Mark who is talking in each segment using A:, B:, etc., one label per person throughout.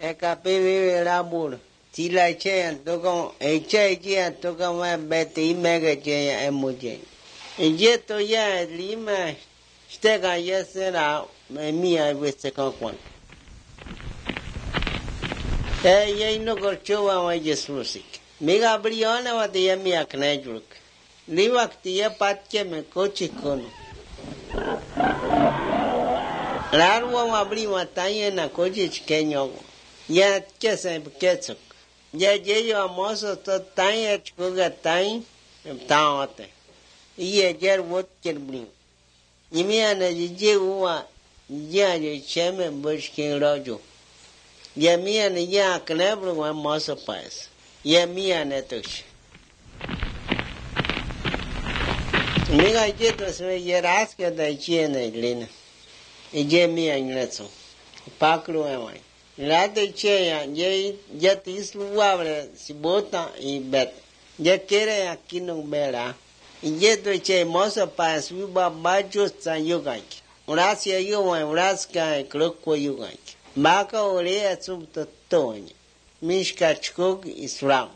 A: e capivi la bur ti la che to con e che to con be ti mega che e muje e je to ya lima stega yesera mi ai queste con e ye no corchova ma Jesus mega briona wa de mi akne julk livak tia patke me kochi kono Rarwa mabri matanya na kochi chkenyo ya kese ketsuk ya yeyo amoso to tanya chkuga tanya taote iye ger wot kerbri imia na je uwa ya je cheme bushkin rojo ya mia na ya knebru wa moso pas ya mia na tush miga je to se yeras ke da chiene glina je mia ngletso pakru ai la de cheya ya tisluabre si bota y bet ya quiere aquí no verá y ya to che mozo pa su babajo san yogai gracia yo wa gracia kroko yogai maka ore sub totonya mishka chkog islam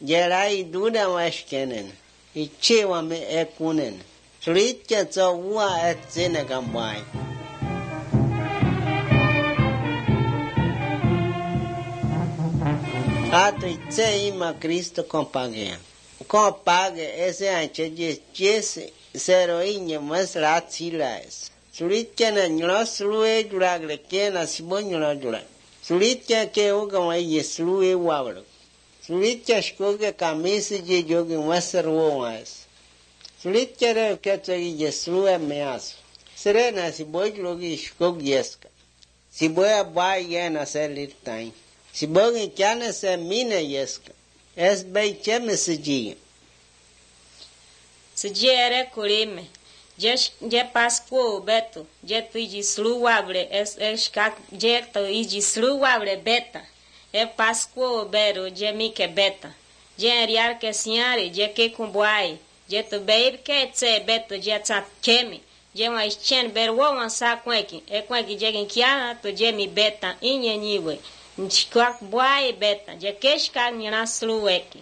A: ya rai duda was kenen y che wa me ekunen srit ke zo wa et zene gambai Ato itse ima Cristo compague. Compague ese anche jese seroinha mas ratilas. Sulit kena nyloslue duragle kena sibonyola dura. Sulit ke oga mai yeslue wabro. Sulit shkoge kamisi je jogi masarwo mas. Sulit ke to yeslue meas. Serena sibojlogi shkog yeska. Siboya bai yena selit tain. Si bogi kiana se mina yeska. Es bei cheme se dia.
B: Se dia era colime. Je pasco beto. Je tu de sluabre. Es kak je tu de sluabre beta. É pasco bero je mi que beta. Je ariar que senhare je que kumbuai. Je tu beir que tse beto je tsat kemi. Je mais chen ber wo sa kweki. É kweki je kiana tu je mi beta inye niwe. Nchikak boy beta, je keshka nyana sluweki.